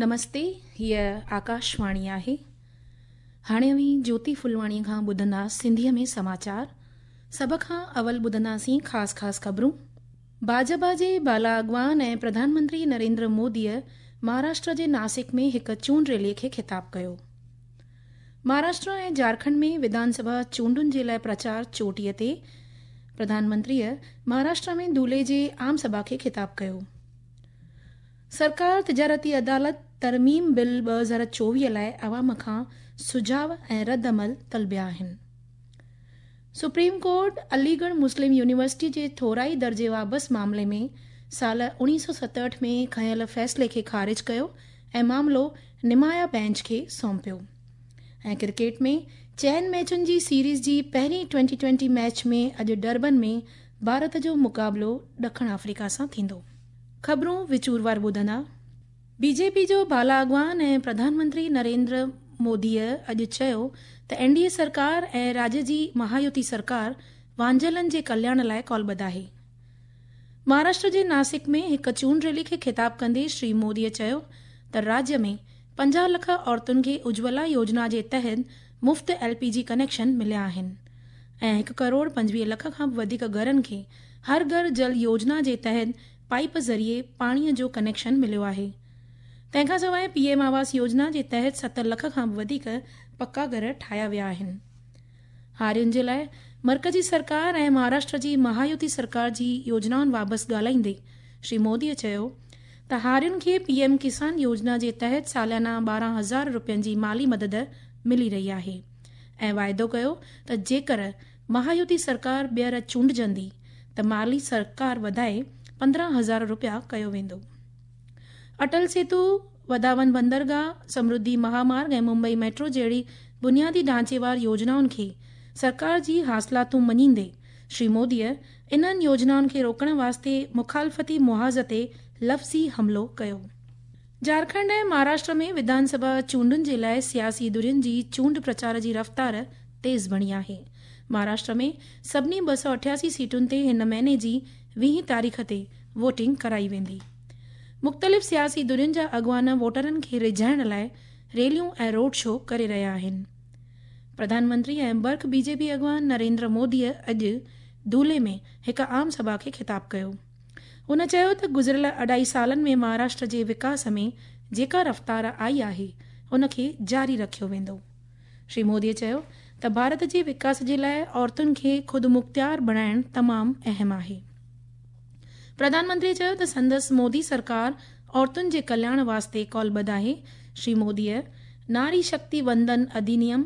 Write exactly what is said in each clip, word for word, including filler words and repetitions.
نمستي، هيء آڪاشواڻي آهي. هاڻي اوهين جيوتي ڦلواڻيء کان ٻڌندا سنڌيء ۾ سماچار. سڀ کان اول ٻڌنداسين خاص خاص خبرون. ڀاجپا جي بالا اڳواڻ ۽ پرڌان منتري نريندر موديء مهاراشٽر جي ناسڪ ۾ هڪ چونڊ ريلي کي خطاب ڪيو. مهاراشٽر ۽ جهارکنڊ ۾ وڌان سڀا چونڊن جي لاء پرچار چوٽيء تي. پرڌان منتريء مهاراشٽر ۾ ڌولي جي عام سڀا کي خطاب ڪيو. سرڪار تجارتي عدالت ترميم بل ٻه هزار چوويهه لاء عوام کان سجهاء ۽ رد عمل طلبيا آهن. سپريم ڪورٽ علي ڳڙهه مسلم يونيورسٽي جي ٿورائي درجي واپس معاملي ۾ سال اڻويهه سؤ ستهٺ ۾ کنيل فيصلي کي خارج ڪيو ۽ معاملو نمايان بينچ کي سونپيو. ۽ ڪرڪيٽ ۾ چئن ميچن جي سيريز جي پهرين ٽوئنٽي ٽوئنٽي ميچ ۾ اڄ ڊربن ۾ ڀارت جو مقابلو ڏکڻ آفريڪا سان ٿيندو. خبرون وچوروار ٻڌندا. بي جي پي جو بالا اڳواڻ ۽ پرڌان منتري نريندر موديء اڄ چيو ته اين ڊي اي سرڪار ۽ راڄ جي مهايوتي سرڪار وانجهيلن جي ڪلياڻ لاء ڪالبڌ آهي. مهاراشٽر جي ناسڪ ۾ هڪ چونڊ ريلي کي خطاب ڪندي شري موديء چيو ته راڄ ۾ پنجاهه لک عورتن کي اجولا يوجنا جي تحت مفت ايل پي جي ڪنيڪشن مليا آهن ۽ هڪ ڪروڙ پنجويهه لک کان به وڌيڪ گهرن کي هر گهر جل يوجنا جي تحت پائيپ ذريعي پاڻيء جو ڪنيڪشن مليو آهي. تنهن کان سواء پي ايم آواس يوجنا جي تحت ست لک کان به وڌيڪ پڪا گهر ٺاهيا ويا آهن. هارين جي لاء مرڪزي سرڪار ۽ مهاراشٽر جي مهايوتي سرڪار جي يوجنائن بابت ڳالهائيندي شري موديء چيو ته هارين کي پي ايم ڪسان يوجنا جي تحت ساليانه ٻارهن هزار رپين جي مالي مدد ملي رهي آهي ۽ واعدو ڪيو ته جيڪر مهايوتي سرڪار ٻيهر چونڊجندي ته مالي سرڪار وڌائي پندرهن هزار رپيا ڪيو ويندو. اٽل سيتو، وڌاون بندرگاهه، سمرڌي مهامارگ ۽ ممبئي ميٽرو جهڙي بنيادي ڍانچيوار يوجنائن کي سرڪار جي حاصلاتون مڃيندي شري موديء انهن يوجنائن کي روڪڻ واسطي مخالفتي محاذ تي لفظي حملو ڪيو. جهارکنڊ ۽ مهاراشٽر ۾ وڌان سڀا چونڊن جي لاء سياسي ڌرين جي چونڊ پرچار جي رفتار تيز بڻي آهي. مهاراشٽر ۾ سڀني ٻه سؤ اٺياسي سيٽن تي هن مهيني جي ويهين تاريخ تي ووٽنگ ڪرائي ويندي. مختلف سياسي ڌرين جا اڳواڻ ووٽرن کي ريجهائڻ لاء ريليون ۽ روڊ شو ڪري رهيا آهن. پرڌان منتري ۽ برک بي جي پي اڳواڻ نريندر موديء اڄ ڌولي ۾ هڪ عام سڀا کي خطاب ڪيو. هن چيو ته گذريل اڍائي سالن ۾ مهاراشٽر جي وڪاس ۾ جيڪا رفتار آئي آهي ان کي جاري رکيو ويندو. شري موديء چيو ته ڀارت جي وڪاس جي لاء عورتن کي خودمختيار بڻائڻ تمام اهم آهي. پرڌان منتري چيو ته سندس مودي سرڪار عورتن جي ڪلياڻ واسطي ڪالبڌ آهي. شري موديء ناري شڪتي وندن اڌينيم،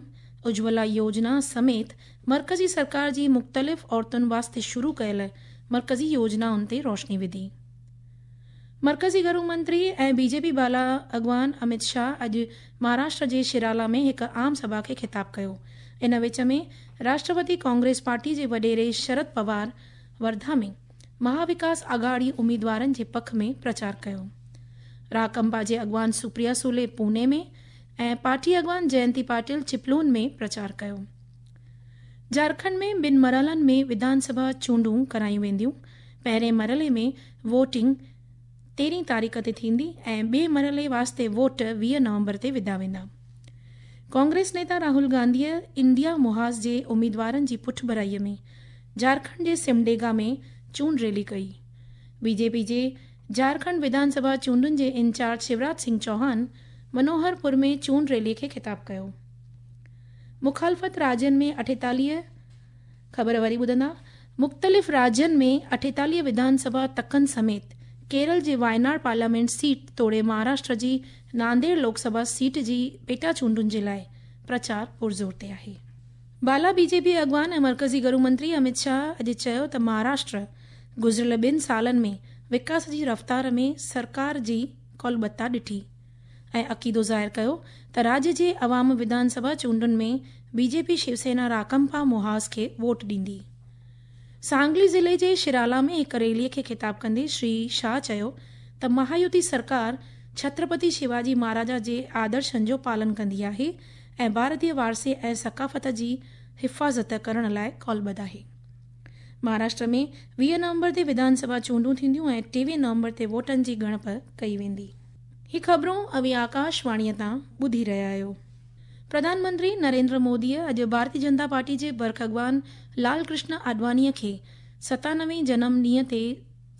اجولا يوجنا سميت مرڪزي سرڪار جي مختلف عورتن واسطي شروع ڪيل مرڪزي يوجنائن تي روشني وڌي. مرڪزي گهرو منتري ۽ بي جي پي بالا اڳواڻ امت شاهه اڄ مهاراشٽر جي شرالا ۾ هڪ عام سڀا کي خطاب ڪيو. ان وچ ۾ راشٽروادي ڪانگريس پارٽي جي وڏيري شرد پوار ورڌا ۾ مهاوڪاس آگهاڙي اميدوارن جي پک ۾ پرچار ڪيو. راڪمپا جي اڳواڻ سپريا سولي پوني ۾ ۽ پارٽي اڳواڻ جينتي پاٽل چپلون ۾ پرچار ڪيو. جهارکنڊ ۾ ٻن مرحلن ۾ وڌان سڀا چونڊون ڪرايون وينديون. پهرين مرحلي ۾ ووٽنگ تيرهين تاريخ تي ٿيندي ۽ ٻئي مرحلي واسطي ووٽ ويهه نومبر تي وڌا ويندا. ڪانگريس نيتا راهول گانڌيء انڊيا محاذ جي اميدوارن جي پٺڀرائيء ۾ جهارکنڊ جي سمڊيگا ۾ چونڊ ريلي ڪئي. بي جي پي جي جهارکنڊ وڌان سڀا چونڊن جي انچارج شيوراج سنگهه چوهان منوهرپور ۾ چونڊ ريلي کي خطاب ڪيو. مخالفت راجين ۾ اٺيتاليهه خبر وري ٻڌندا. مختلف راجين ۾ اٺيتاليهه وڌان سڀا تڪن سميت ڪيرل جي وايناڙ پارليامينٽ سيٽ توڙي مهاراشٽر جي نانديڙ لوڪ سڀا سيٽ جي پيٽا چونڊن جي لاء پرچار پرزور تي آهي. بالا بي جي پي اڳواڻ ۽ مرڪزي گهرو منتري امت شاهه اڄ چيو ته مهاراشٽر گذريل ٻن سالن ۾ وڪاس جي رفتار ۾ سرڪار جي ڪالبتا ڏٺي ۽ عقيدو ظاهر ڪيو ته راڄ جي عوام وڌان سڀا چونڊن ۾ بي جي پي شيوسينا راڪمپا محاذ کي ووٽ ڏيندي. سانگلي ضلعي جي شرالا ۾ هڪ ريليء کي خطاب ڪندي شري شاهه چيو ته مهايوتي سرڪار ڇترپتي شيواجي مهاراجا جي آدرشن جو پالن ڪندي آهي ۽ ڀارتيه وارثي ۽ ثقافت جي حفاظت ڪرڻ لاء ڪالبڌ آهي. مهاراشٽر ۾ ويهه نومبر تي وڌان سڀا چونڊون ٿينديون ۽ ٽيويهه نومبر تي ووٽن جي ڳڻپ ڪئي ويندي. ही ख़बरूं अव्हीं आकाशवाणीअ तां ॿुधी रहिया आहियो। प्रधानमंत्री नरेंद्र मोदीअ अॼु भारतीय जनता पार्टी जे बर्ख अॻवान लाल कृष्ण आडवाणीअ खे सतानवे जनम ॾींहं ते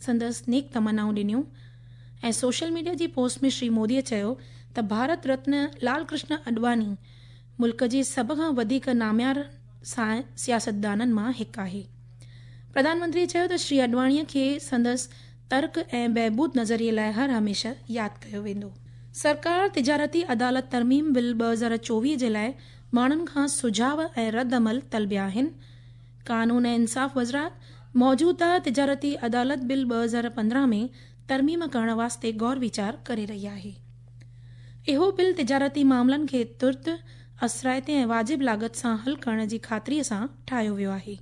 संदसि नेक तमन्नाऊं ॾिनियूं ऐं सोशल मीडिया जी पोस्ट में श्री मोदीअ चयो त भारत रत्न लाल कृष्ण आडवाणी मुल्क जे सभ खां वधीक नामियार सियासतदाननि मां हिकु आहे। प्रधानमंत्री चयो त श्री आडवाणीअ खे संदसि तर्क ऐं बहबूद नज़रिए लाइ हर हमेशह यादि कयो वेंदो। सरकार तिजारती अदालत तरमीम बिल ॿ हज़ार चोवीह जे लाइ माण्हुनि खां सुझाव ऐं रद्द अमल तलबिया आहिनि। कानून ऐं इंसाफ़ वज़ारत मौजूदा तिजारती अदालत बिल ॿ हज़ार पंद्रहं में तरमीम करण वास्ते गौर वीचार करे रही आहे। इहो बिल तिजारती मामलनि खे तुर्त, असराइते ऐं वाजिब लागत सां हल करण जी ख़ातिरीअ सां ठाहियो वियो आहे।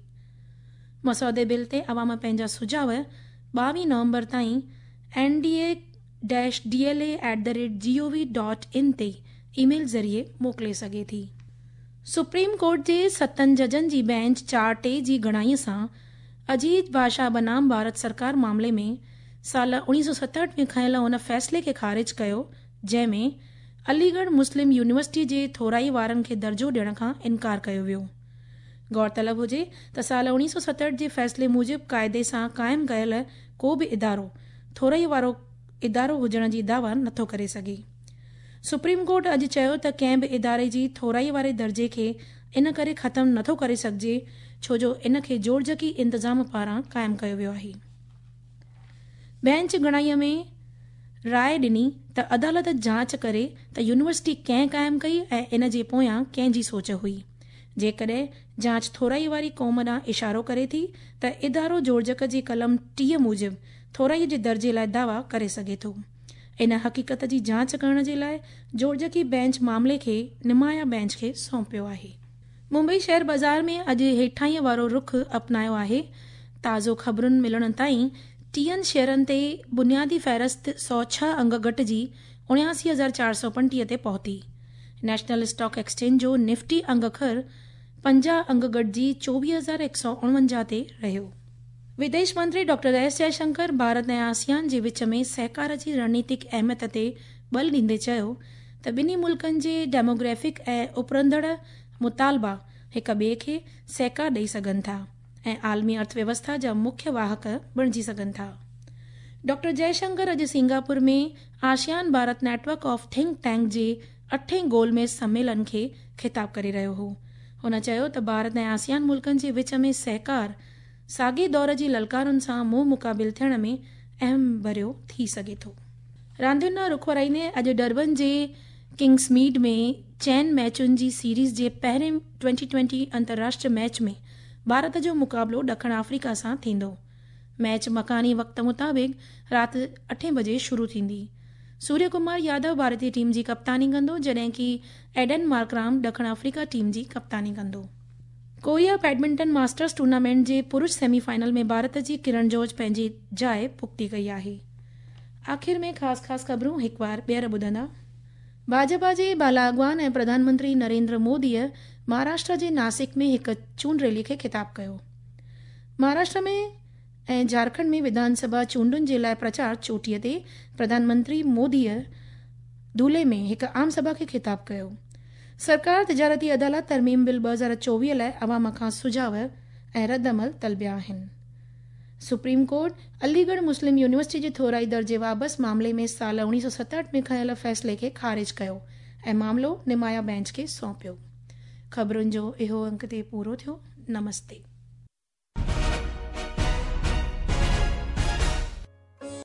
मसौदे बिल ते अवाम पंहिंजा सुझाव ॿावीह नवंबर ताईं N D A dash D L A at the rate G O V dot in ते ईमेल ज़रिए मोकिले सघे थी। सुप्रीम कोर्ट जे सतनि जजनि जी बेंच चार टे जी घणाईअ सां अजीत बादशाह बनाम भारत सरकार मामले में साल उणिवीह सौ सतहठि में खयियल उन फ़ैसिले खे ख़ारिज कयो जंहिंमें अलीगढ़ मुस्लिम यूनिवर्सिटी जे थोराई वारनि खे दर्जो ॾियण खां इनकार कयो वियो। गौरतलब हुजे त साल उणिवीह सौ सतहठि जे फ़ैसिले मूजिबि क़ाइदे सां क़ाइमु कयल को बि इदारो थोराई वारो इदारो हुजण जी दावा नथो करे सघे। सुप्रीम कोर्ट अॼु चयो त कंहिं बि इदारे जी थोराई वारे दर्जे खे इन करे ख़तमु नथो करे सघिजे छो जो इन खे जोड़जकी इंतज़ाम पारां क़ाइमु कयो वियो आहे। बेंच घणाईअ में राय ॾिनी त अदालत जांच करे त यूनिवर्सिटी कंहिं क़ाइमु कई ऐं इन जे पोयां कंहिंजी सोच हुई। जेकॾहिं जांच थोराई वारी क़ौम ॾांहुं इशारो करे थी त इदारो जोड़जक जी कलम टीह मूजिबि थोराई जे दर्जे लाइ दावा करे सघे थो। इन हक़ीक़त जी जांच करण जे लाइ जोड़जकी बेंच मामले खे नुमाया बेंच खे सौंपियो आहे। मुंबई शेयर बाज़ार में अॼु हेठाईअ वारो रुख अपनायो आहे। ताज़ो ख़बरुनि मिलण ताईं टीहनि शेयरनि ते बुनियादी फ़हरिस्त सौ छह अंग घटिजी उणियासी हज़ार चार सौ पंटीह ते पहुती। नेशनल स्टॉक एक्सचेंज जो निफ्टी अंग अखर पंजाह अंग घटिजी चोवीह हज़ार हिकु सौ उणवंजाह ते रहियो। विदेश मंत्री डॉक्टर एस जयशंकर भारत ऐं आसियान जे विच में सहकार जी रणनीतिक अहमियत ते बल ॾींदे चयो त ॿिन्ही मुल्कनि जे डेमोग्राफिक ऐं उभरंदड़ मुतालबा हिक ॿिए खे सहकार ॾेई सघनि था ऐं आलमी अर्थव्यवस्था जा मुख्य वाहक बणिजी सघनि था। डॉक्टर जयशंकर अॼु Singapore में ASEAN Bharat network of think tank जे अठें गोलमेज़ सम्मेलन खे ख़िताब करे रहियो हो। हुन चयो त भारत ऐं आसियान मुल्कनि जे विच में सहकार साॻे दौर जी ललकारुनि सां मुंहुं मुक़ाबिल थियण में अहम भरियो थी सघे थो। रांदियुनि ॾांहुं रुख वराईंदे अॼु डरबन जे किंग्समीड में चइनि मैचुनि जी सीरीज़ जे पहिरें ट्वेंटी ट्वेंटी अंतर्राष्ट्रीय मैच में भारत जो मुक़ाबिलो ॾखिण अफ्रीका सां थींदो। मैच मकानी वक़्त मुताबिक़ राति अठें बजे शुरू थींदी। सूर्य कुमार यादव भारतीय टीम जी कप्तानी कंदो, जॾहिं की एडन मार्कराम ॾखिण अफ्रीका टीम जी कप्तानी कंदो। कोरिया बैडमिंटन मास्टर्स टूर्नामेंट जे पुरुष सेमीफाइनल में भारत जी किरण जॉर्ज पंहिंजी जाइ पुख़्ती कई आहे। आख़िर में ख़ासि ख़ासि ख़बरूं हिकु बार ॿीहर ॿुधंदा। भाजपा जे बाला अॻवान ऐं प्रधानमंत्री नरेंद्र मोदीअ महाराष्ट्र जे नासिक में हिकु चूंड रैली खे ख़िताब कयो। महाराष्ट्र में ऐं झारखंड में विधानसभा चूंडुनि जे लाइ प्रचार चोटीअ ते प्रधानमंत्री मोदीअ धुले में हिकु आम सभा खे ख़िताब कयो। सरकार तिजारती अदालत तरमीम बिल ॿ हज़ार चोवीह लाइ अवाम खां सुझाव ऐं रद्द अमल तलबिया आहिनि। Supreme court Aligarh Muslim university जे थोराई दर्जे वापसि मामले में साल उणिवीह सौ सतहठि में खयल फ़ैसिले खे ख़ारिज कयो ऐं मामिलो नुमाया बेंच खे सौंपियो। ख़बरुनि जो इहो अंक ते पूरो थियो। नमस्ते।